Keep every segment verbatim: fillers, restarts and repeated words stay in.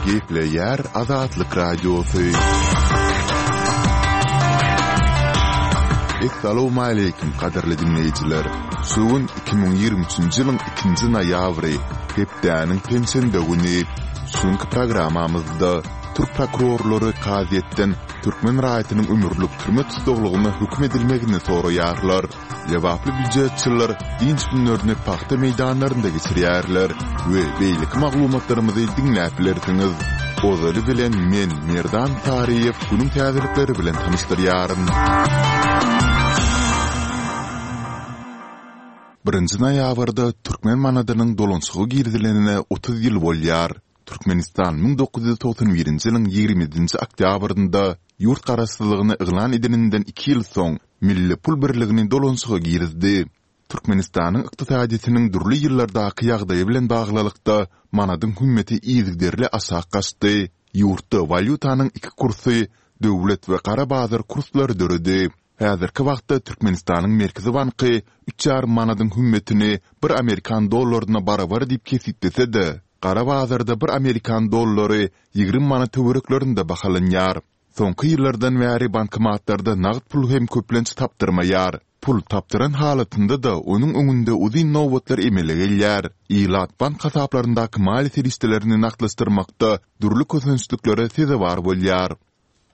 Gepleýär Azatlyk Radiosy. Essalawmaleýkim gadyrly diňleýjiler! Şu gün iki müň ýigrimi üçünji ýylyň ikinji noýabry, hepdäniň penşenbe güni. Şu günki programmamyzda türk prokurorlary kazyýetden türkmen raýatynyň ömürlik türme tussaglygyna höküm edilmegini soraýarlar. Lebaply býujetçiler dynç günlerini pagta meýdanlarynda geçirýärler we beýleki maglumatlarymyzy diňläp bilersiňiz. Ozaly bilen men, Merdan Saryýew günüň täzelikleri bilen tanyşdyrýaryn. Birinji noýabrda türkmen manadynyň dolanyşyga girizilenine otuz ýyl bolýar. Türkmenistan müň dokuz ýüz togsan birinji ýylyň ýigrimi ýedinji oktýabrynda ýurt garaşsyzlygyny yglan edeninden iki ýyl soň milli pul birligini dolanyşyga girizdi. Türkmenistanyň ykdysadyýetiniň dürli ýyllardaky ýagdaýy bilen baglylykda manadyň hümmeti yzygiderli aşak gaçdy, ýurtda walýutanyň iki kursy, döwlet we gara bazar kurslary döredi. Häzirki wagtda Türkmenistanyň Merkezi banky üç ýarym manadyň hümmetini bir amerikan dollaryna barabar diýip kesgitlese-de, gara bazarda bir amerikan dollary ýigrimi manat töwereklerinde bahalanýar. Soňky ýyllardan bäri bankomatlarda nagt pul hem köplenç tapdyrmaýar. Pul tapdyran halatynda-da onuň öňünde uzyn nobatlar emele gelýär. Ilat bank hasaplaryndaky maliýe serişdelerini nagtlaşdyrmakda dürli kösençliklere sezewar bolýar.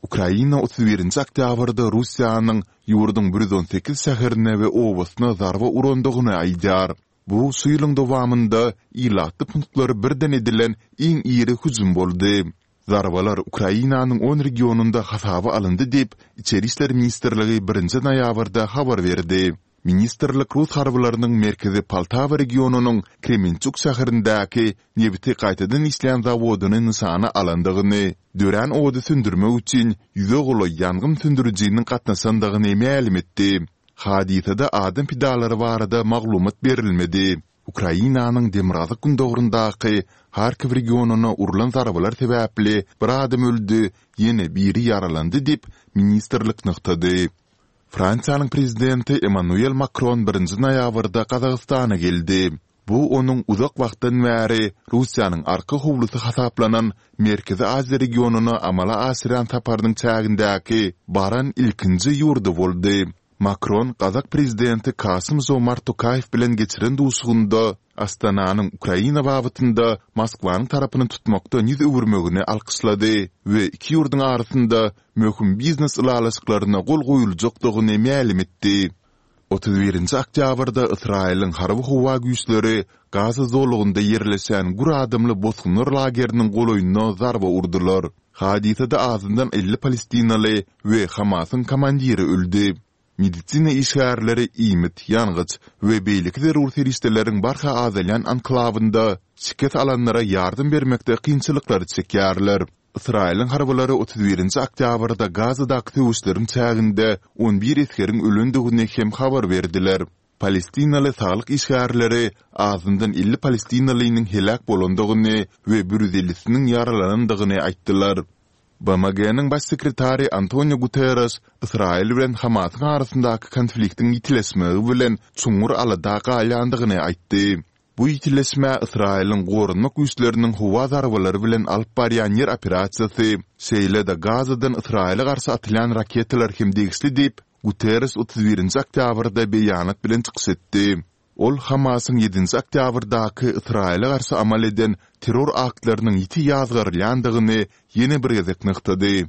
Ukraina otuz birinji oktýabrda Russiýanyň ýurduň bir ýüz on sekiz şäherine we obasyna zarba urandygyny aýdýar. Bu şu ýylyň dowamynda ilatly punktlara birden edilen iň iri hüjüm boldy. Zarbalar Ukrainanyň on regionynda hasaba alyndy diýip, Içeri işler ministrligi birinji noýabrda habar berdi. Ministrlik rus harbylarynyň merkezi Poltawa regionynyň Kremençuk şäherindäki nebiti gaýtadan işleýän zawodyny nyşana alandygyny, dörän ody söndürmek üçin ýüze golaý ýangyn söndürijiniň gatnaşandygyny mälim etdi. Hadysada adam pidalary barada maglumat berilmedi. Ukrainanyň demirgazyk-gündogaryndaky Harkiw regionyna urlan zarbalar sebäpli bir adam öldi, ýene biri ýaralandy diýip, ministrlik nygtady. Fransiýanyň prezidenti Emmanuel Makron birinji noýabrda Gazagystana geldi. Bu onuň uzak wagtdan bäri Russiýanyň arka howlusy hasaplanan Merkezi Aziýa regionyna amala aşyrýan saparynyň çägindäki baran ilkinji ýurdy boldy. Makron gazak prezidenti Kasym-Žomart Tokaýew bilen geçiren duşuşygynda Astananyň Ukraina babatynda Moskwanyň tarapyny tutmakdan ýüz öwürmegini alkyşlady we iki ýurduň arasynda möhüm biznes ylalaşyklaryna gol goýuljakdygyny mälim etdi. Otuz birinji oktýabrda Ysraýylyň harby-howa güýçleri Gaza zolagynda ýerleşen gür adamly bosgunlar lageriniň golaýynda zarba urdular. Hadysada azyndan elli palestinaly we Hamasyň komandiri öldi. Medisina işgärleri iýmit, ýangyç we beýleki zerur serişdeleriň barha azalýan anklawynda şikes alanlara ýardam bermekde kynçylyklary çekýärler. Ysraýylyň harbylary otuz birinji oktýabrda Gazadaky söweşleriň çäginde on bir esgeriň ölendigini hem habar berdiler. Palestinaly saglyk işgärleri azyndan elli palestinalynyň heläk bolandygyny we bir ýüz ellisiniň ýaralanandygyny aýtdylar. BMG-niň Baş sekretary Antonio Guterreş Ysraýyl bilen Hamasyň arasyndaky konfliktiň ýitileşmegi bilen çuňňur alada galýandygyny aýtdy. Bu ýitileşmä Ysraýylyň goranmak güýçleriniň howa zarbalary bilen alyp barýan ýer operasiýasy, şeýle-de Gazadan Ysraýyla garşy atylýan raketalar hem degişli diýip, Guterreş otuz birinji oktýabrda beýanat bilen çykyş etdi. Ol Hamasyň ýedinji oktýabrdaky Ysraýyla garşy amal eden terror aktlarynyň ýiti ýazgarylýandygyny ýene bir gezek nygtady.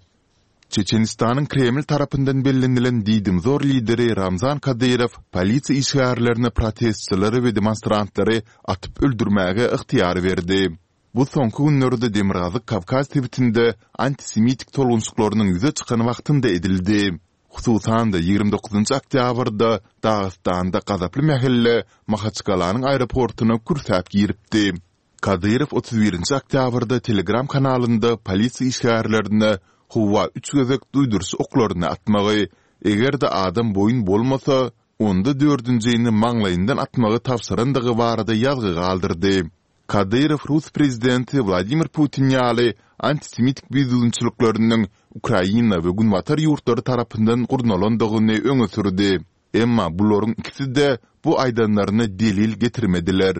Çeçenistanyň Kreml tarapyndan bellenilen diýdimzor lideri Ramzan Kadyrow polisiýa işgärlerine protestçileri we demonstrantlary atyp öldürmäge ygtyýar berdi. Bu soňky günlerde Demirgazyk Kawkaz sebitinde antisemitik tolgunşyklarynyň ýüze çykan wagtynda edildi. Hususan-da, ýigrimi dokuzynjy oktýabrda Dagystanda gazaply mähelle Mahaçgalanyň aeroportuna kürsäp giripdi. Kadyrow otuz birinji oktýabrda Telegram kanalynda polisiýa işgärlerine howa üç gezek duýduryş oklaryny atmagy, eger-de adam boýun bolmasa, onda dördünjini maňlaýyndan atmagy tabşyrandygy barada ýazgy galdyrdy. Kadyrow rus prezidenti Wladimir Putin ýaly antisemitik bidüzgünçilikleriniň Ukraina we Günbatar ýurtlary tarapyndan gurnalandygyny öňe sürdi. Emma bularyň ikisi-de bu aýdanlaryna delil getirmediler.